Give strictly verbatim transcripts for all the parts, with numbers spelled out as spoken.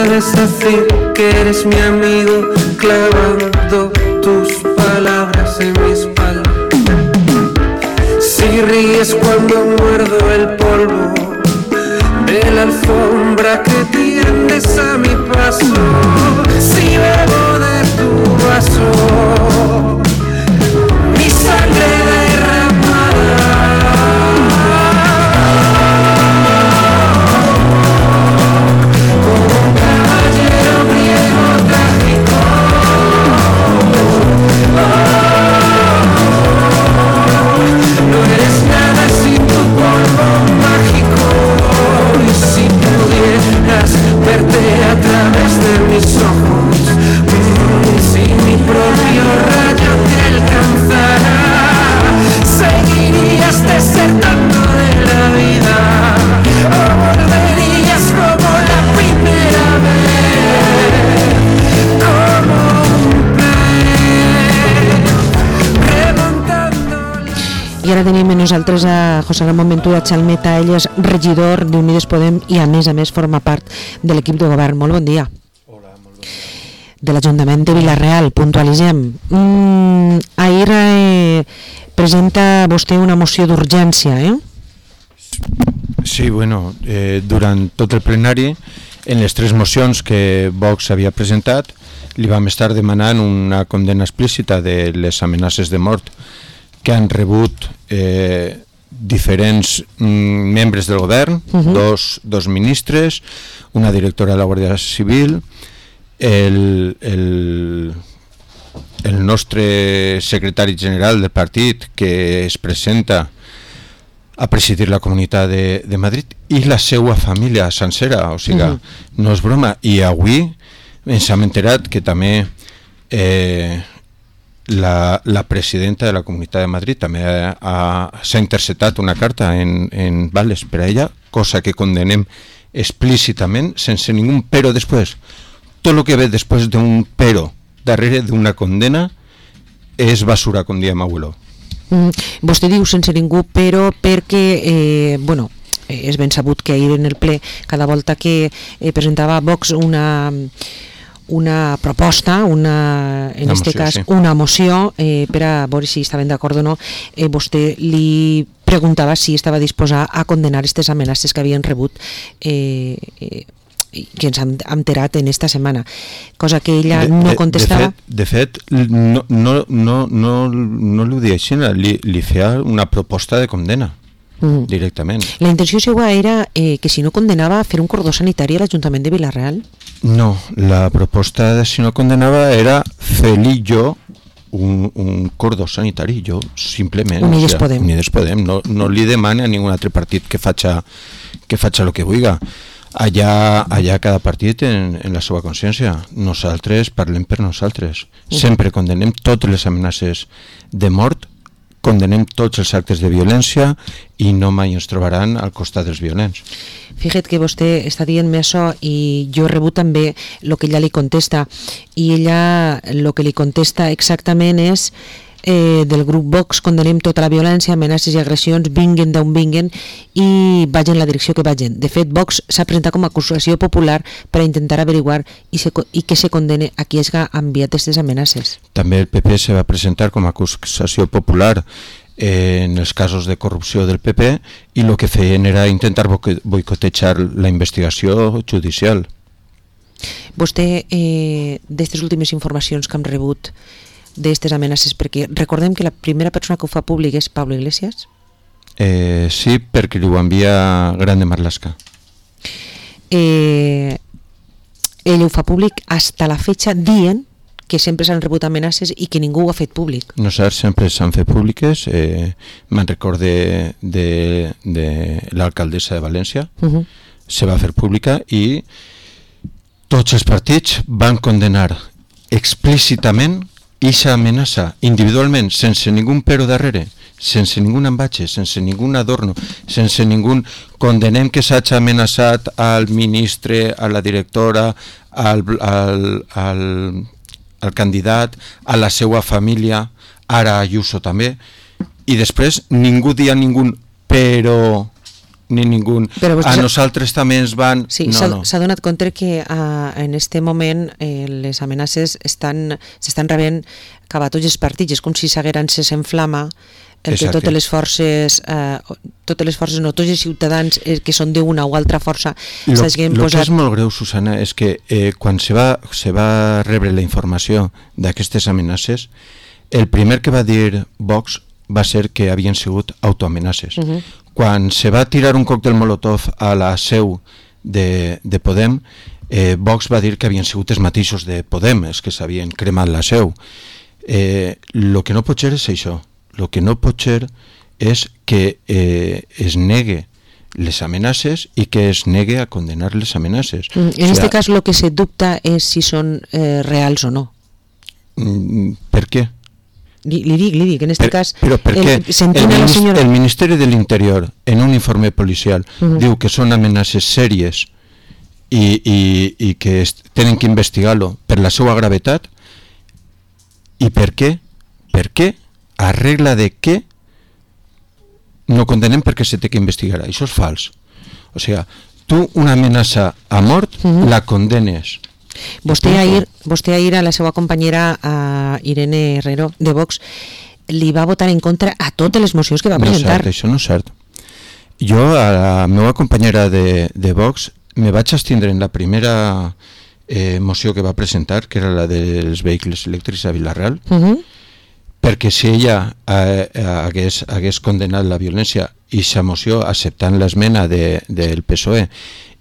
puedes decir que eres mi amigo clavando tus palabras en mi espalda. Si ríes cuando muerdo el polvo de la alfombra que tiendes a mi paso, si bebo de tu vaso mi sangre derramada, como un caballero griego trágico, no eres nada sin tu polvo mágico. Y si pudieras verte a través de mis ojos, si mi propio rayo te alcanzara, seguirías desertando de la vida o volverías como la primera vez, como un pez remontando la... I ara tenim amb nosaltres a José Ramón Ventura Chalmeta, ell és regidor d'Unides Podem i a més a més forma part de l'equip de govern. Molt bon dia. Hola, molt bon dia. De l'Ajuntament de Vila-real, puntualitzem. Mm, ahir eh, presenta vostè una moció d'urgència, eh? Sí, bueno, eh, durant tot el plenari, en les tres mocions que Vox havia presentat, li vam estar demanant una condena explícita de les amenaces de mort que han rebut eh, diferents mm, membres del govern, uh-huh. dos, dos ministres, una directora de la Guàrdia Civil, el, el, el nostre secretari general del partit que es presenta a presidir la Comunitat de, de Madrid i la seva família sencera, o sigui, uh-huh. no és broma. I avui ens hem enterat que també eh, La, la presidenta de la Comunitat de Madrid també s'ha interceptat una carta en, en vales per a ella, cosa que condenem explícitament, sense ningú però després. Tot el que ve després d'un però darrere d'una condena és basura, com diem abuelo. Mm, vostè diu sense ningú però perquè, eh, bueno, és ben sabut que ahir en el ple, cada volta que eh, presentava Vox una... una proposta, una, en aquest cas sí. una moció eh, per a veure si estaven d'acord o no, eh, vostè li preguntava si estava disposat a condenar aquestes amenaces que havien rebut eh, eh, que ens han enterat en esta setmana, cosa que ella de, no de, contestava. De fet, de fet no, no, no, no, no li ho deia així, li, li feia una proposta de condena. Mm. Directament. La intenció seva era eh, que si no condenava fer un cordó sanitari a l'Ajuntament de Vila-real? No, la proposta de si no condenava era fer-li jo un, un cordó sanitari, jo simplement. Unides o sea, Podem. Unides Podem, no, no li demana a ningú altre partit que faci que faci el que vulgui. Allà, allà cada partit en, en la seva consciència. Nosaltres parlem per nosaltres. Uh-huh. Sempre condenem totes les amenaces de mort, condenem tots els actes de violència i no mai ens trobaran al costat dels violents. Fíjate que vostè està dient-me això i jo he rebut també el que ella li contesta i ella el que li contesta exactament és eh, del grup Vox condenem tota la violència, amenaces i agressions, vinguen d'on vinguen i vagin en la direcció que vagin. De fet, Vox s'ha presentat com a acusació popular per a intentar averiguar i, se, i que se condene a qui hagi enviat aquestes amenaces. També el P P se va presentar com a acusació popular en els casos de corrupció del P P i el que feien era intentar boicotejar la investigació judicial. Vostè, eh, d'aquestes últimes informacions que hem rebut d'aquestes amenaces, perquè recordem que la primera persona que ho fa públic és Pablo Iglesias? Eh, sí, perquè li ho envia Grande Marlaska. Eh, ell ho fa públic hasta la fecha dient que sempre s'han rebut amenaces i que ningú ho ha fet públic. Nosaltres sempre s'han fet públiques. Eh, me'n recorde de, de l'alcaldessa de València, uh-huh. se va fer pública i tots els partits van condenar explícitament aquesta amenaça, individualment, sense ningú però darrere, sense ningú embatge, sense ningú adorno, sense ningú condenem que s'hagi amenaçat al ministre, a la directora, al, al, al el candidat, a la seva família, ara a Ayuso també, i després ningú dia ningú però ni ningú. A nosaltres també ens van... Sí, s'ha no, no. donat compte que uh, en este moment eh, les amenaces estan s'estan rebent cap a tots els partits, és com si s'hagueren encès en flama el que totes les forces eh, totes les forces, no, tots els ciutadans eh, que són d'una o altra força s'hagin posat... El que és molt greu, Susana, és que eh, quan se va, se va rebre la informació d'aquestes amenaces, el primer que va dir Vox va ser que havien sigut autoamenaces. Uh-huh. Quan se va tirar un còctel molotov a la seu de, de Podem, eh, Vox va dir que havien sigut els mateixos de Podem, els que s'havien cremat la seu. Eh, lo que no pot ser és això. Lo que no pot ser és que eh, es negue les amenaces i que es negue a condenar les amenaces. Mm, en o sea, este cas lo que se dubta és si són eh, reals o no. Mm, per què? Li, li dic, li dic, en este per, cas... Però per què? El, el, minist senyora... el Ministeri de l'Interior, en un informe policial, uh-huh. diu que són amenaces sèries i, i, i que es, tenen que investigar-lo per la seva gravetat. I per què? Per què? A regla de què no condenem perquè se té que investigar. Això és fals. O sigui, tu una amenaça a mort uh-huh. la condenes. Vostè ahir, vostè ahir a la seva companyera a Irene Herrero de Vox li va votar en contra a totes les mocions que va presentar. No és cert, això no és cert. Jo a la meva companyera de, de Vox me vaig abstindre en la primera eh, moció que va presentar, que era la dels vehicles elèctrics a Vila-real, uh-huh. perquè si ella eh, hagués, hagués condenat la violència i sa moció acceptant l'esmena de, del P S O E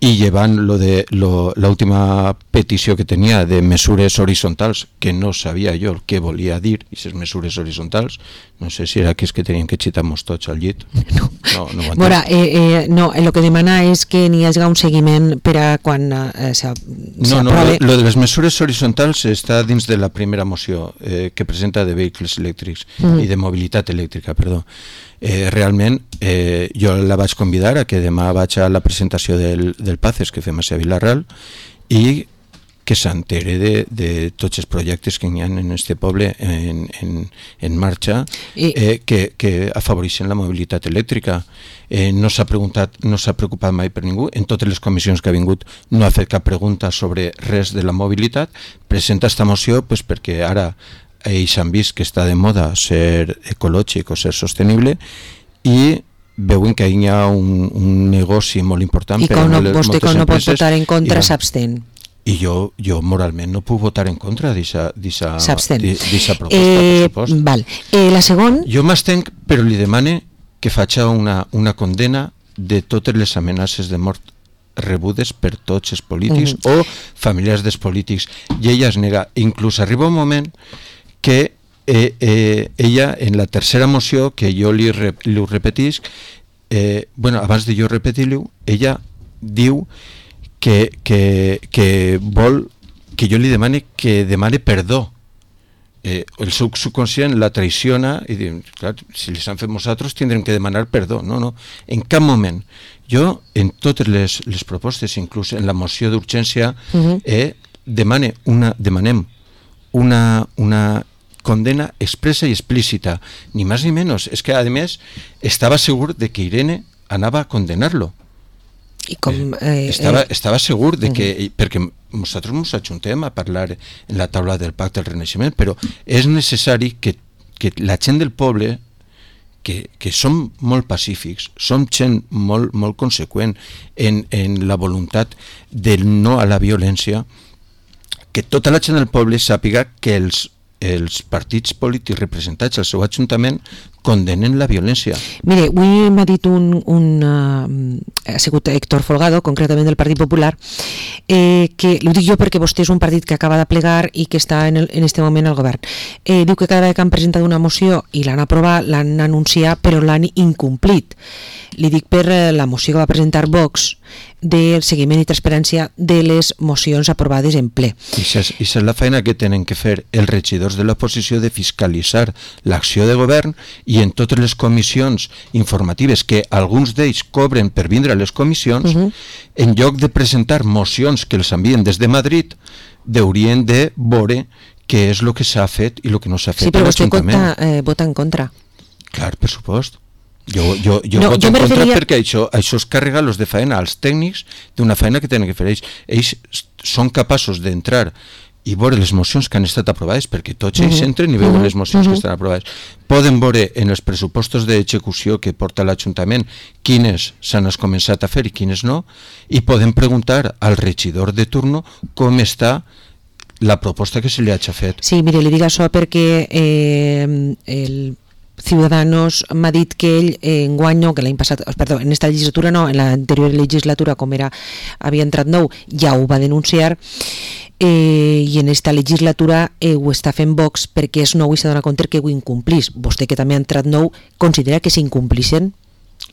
i llevant lo de lo, l'última petició que tenia de mesures horitzontals, que no sabia jo el que volia dir, i aquestes mesures horitzontals, no sé si era que és que teníem que xitar-nos tots al llit. No, no, no ho Mora, eh, eh, no, el que demana és que n'hi hagi un seguiment per a quan eh, s'aprove... No, no, lo, lo de les mesures horitzontals està dins de la primera moció eh, que presenta de vehicles elèctrics mm. i de mobilitat elèctrica, perdó. Eh, realment eh, jo la vaig convidar a que demà vaig a la presentació del, del PACES que fem a Vila-real i que s'entere de, de tots els projectes que hi ha en este poble en, en, en marxa eh, que, que afavoreixen la mobilitat elèctrica. Eh, no s'ha preguntat, no s'ha preocupat mai per ningú, en totes les comissions que ha vingut no ha fet cap pregunta sobre res de la mobilitat, presenta esta moció pues, perquè ara ells han vist que està de moda ser ecològic o ser sostenible i veuen que hi ha un, un negoci molt important i per a no, les moltes empreses. I com no pot votar en contra s'abstén. I jo, jo moralment no puc votar en contra d'aquesta proposta, eh, per supost. Val. Eh, la segon... Jo m'estenc, però li demane que faci una, una condena de totes les amenaces de mort rebudes per tots els polítics uh-huh. o familiars dels polítics, i ella es nega. Inclús arriba un moment que eh, eh, ella, en la tercera moció, que jo li, re, li ho repetisc, eh, bueno, abans de jo repetir-ho, ella diu que, que, que vol que jo li demane que demane perdó. Eh, el seu subconscient la traiciona i diu, clar, si les han fet nosaltres tindrem que demanar perdó. No, no, en cap moment. Jo, en totes les, les propostes, inclús en la moció d'urgència, uh-huh. eh, demane una, demanem una, una condena expressa i explícita, ni més ni menys. És que, a més, estava segur de que Irene anava a condenar-lo. I com, eh, estava, estava segur de que, uh-huh. perquè nosaltres ens ajuntem a parlar en la taula del Pacte del Renaixement, però és necessari que, que la gent del poble, que, que som molt pacífics, som gent molt, molt conseqüent en, en la voluntat del no a la violència, que tota la gent del poble sàpiga que els els partits polítics representats al seu ajuntament condenen la violència. Mire, avui m'ha dit un, un uh, ha sigut Héctor Folgado, concretament del Partit Popular, eh, que ho dic jo perquè vostè és un partit que acaba de plegar i que està en, el, en este moment al govern. Eh, diu que cada vegada que han presentat una moció i l'han aprovat, l'han anunciat, però l'han incomplit. Li dic per la moció que va presentar Vox del seguiment i transparència de les mocions aprovades en ple. I això és la feina que tenen que fer els regidors de l'oposició, de fiscalitzar l'acció de govern, i en totes les comissions informatives que alguns d'ells cobren per vindre a les comissions, uh-huh. en lloc de presentar mocions que els envien des de Madrid, haurien de veure què és el que s'ha fet i el que no s'ha fet sí, a l'Ajuntament. Sí, però vostè vota, eh, vota en contra. Clar, per supost. Jo, jo, jo no, voto jo en contra referia... perquè això, això es carrega los de faena als tècnics d'una feina que tenen que fer ells. Ells són capaços d'entrar i veure les mocions que han estat aprovades, perquè tots ells uh -huh. entren i veuen uh -huh. les mocions uh -huh. que estan aprovades. Poden veure en els pressupostos d'execució que porta l'Ajuntament quines s'han començat a fer i quines no, i poden preguntar al regidor de turno com està la proposta que se li hagi fet. Sí, mire, li dic això perquè eh, el Ciudadanos m'ha dit que ell eh, enguany no, que l'any passat, perdó, en esta legislatura no, en l'anterior legislatura, com era, havia entrat nou, ja ho va denunciar, eh, i en esta legislatura eh, ho està fent Vox perquè és nou i s'ha donat compte que ho incomplís. Vostè, que també ha entrat nou, considera que s'incomplixen?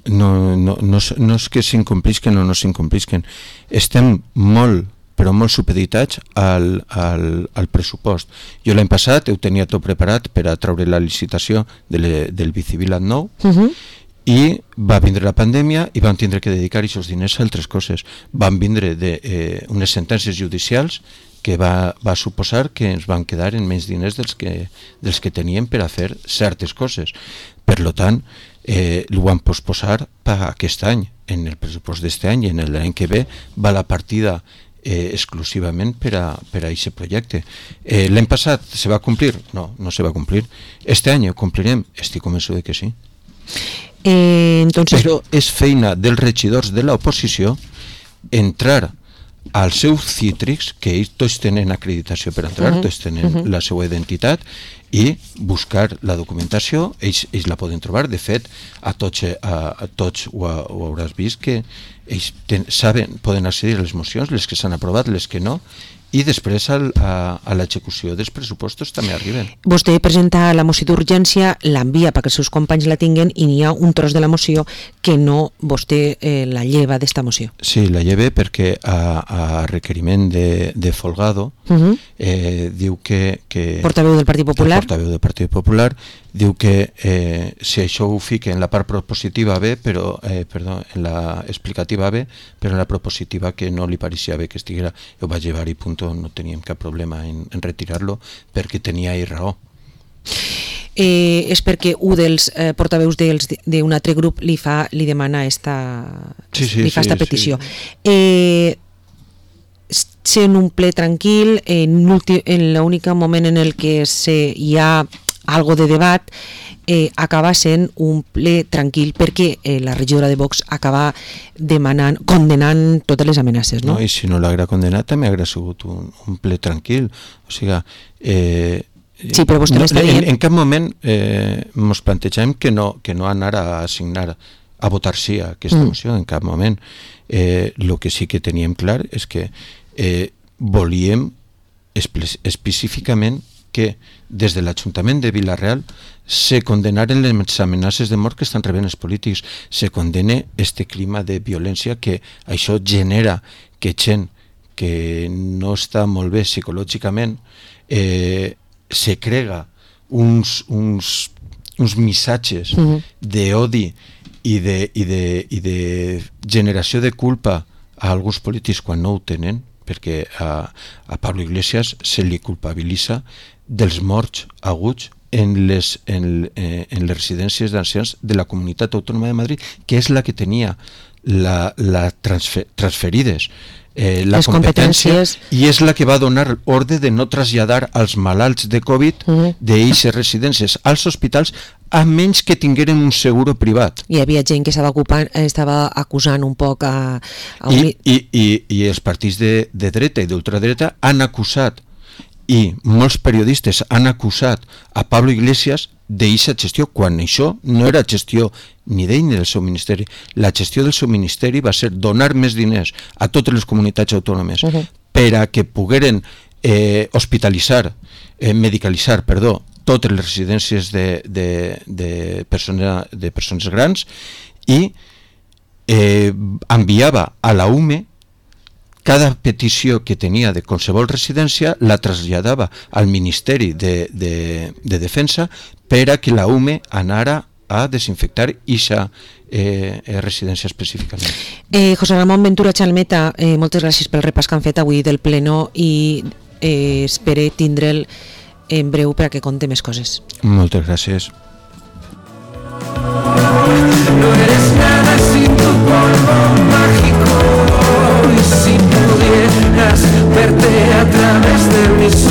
No, no, no, no és que s'incomplixen o no s'incomplixen. Estem molt però molt supeditats al, al, al pressupost. Jo l'any passat ho tenia tot preparat per a treure la licitació de le, del Bicivilat nou uh -huh. i va vindre la pandèmia i vam tindre que dedicar aquests diners a altres coses. Van vindre de, eh, unes sentències judicials que va, va suposar que ens van quedar en menys diners dels que, dels que teníem per a fer certes coses. Per lo tant, eh, ho van posposar per aquest any. En el pressupost d'este any i en l'any que ve va la partida Eh, exclusivament per a, per a aquest projecte. Eh, L'any passat se va complir? No, no se va complir. Este any ho complirem? Estic convençut de que sí. Eh, entonces... Però és feina dels regidors de l'oposició entrar als seus cítrics, que ells tots tenen acreditació per entrar, uh -huh. tots tenen uh -huh. la seva identitat, i buscar la documentació. Ells, ells la poden trobar. De fet, a tots, a, a tots ho, ho hauràs vist que ells ten, saben, poden accedir a les mocions, les que s'han aprovat, les que no, i després al, a, a l'execució dels pressupostos també arriben. Vostè presenta la moció d'urgència, l'envia perquè els seus companys la tinguen i n'hi ha un tros de la moció que no vostè eh, la lleva d'esta moció. Sí, la lleve perquè a, a requeriment de, de Folgado uh -huh. eh, diu que, que... Portaveu del Partit Popular. Portaveu del Partit Popular diu que eh, si això ho fica en la part propositiva bé, però, eh, perdó, en la explicativa bé, però en la propositiva que no li pareixia bé que estiguera, ho va llevar i punt, no teníem cap problema en, en retirar-lo perquè tenia ahí raó. Eh, és perquè un dels eh, portaveus d'un altre grup li fa li demana esta, sí, sí, li fa sí, esta petició. Sí. Eh, sent un ple tranquil, en l'únic moment en el que se, hi ha algo de debat, eh, acaba sent un ple tranquil perquè eh, la regidora de Vox acaba demanant, condenant totes les amenaces, no? No, i si no l'haguera condenat també haguera sigut un, un ple tranquil. O sigui, eh, sí, però vostè no, m'està dient... En, en cap moment eh, ens plantegem que no, que no anar a assignar, a votar sí a aquesta mm. moció, en cap moment. Eh, lo que sí que teníem clar és que eh, volíem espe- específicament que des de l'Ajuntament de Vila-real se condenaren les amenaces de mort que estan rebent els polítics, se condene este clima de violència que això genera que gent que no està molt bé psicològicament eh, se crega uns, uns, uns missatges uh-huh. d'odi i de, i, de, i de generació de culpa a alguns polítics quan no ho tenen, perquè a, a Pablo Iglesias se li culpabilitza dels morts aguts en les, en, en les residències d'ancians de la Comunitat Autònoma de Madrid, que és la que tenia la, la transfer, transferides eh, la les competència i és la que va donar ordre de no traslladar als malalts de Covid uh-huh. d'eixes residències als hospitals a menys que tingueren un seguro privat. Hi havia gent que estava, ocupant, estava acusant un poc a... a un... I, i, i, i els partits de, de dreta i d'ultradreta han acusat i molts periodistes han acusat a Pablo Iglesias d'eixa gestió, quan això no era gestió ni d'ell ni del seu ministeri. La gestió del seu ministeri va ser donar més diners a totes les comunitats autònomes uh-huh. per a que pogueren eh, hospitalitzar, eh, medicalitzar, perdó, totes les residències de, de, de, persona, de persones grans i eh, enviava a la U M E cada petició que tenia de qualsevol residència la traslladava al Ministeri de, de, de Defensa per a que la U M E anara a desinfectar aquesta eh, residència específicament. Eh, José Ramón Ventura Chalmeta, eh, moltes gràcies pel repàs que han fet avui del pleno i eh, espere tindre'l en breu per a que conte més coses. Moltes gràcies. no eres nada sin tu polvo mágico. Y si pudieras verte a través de mis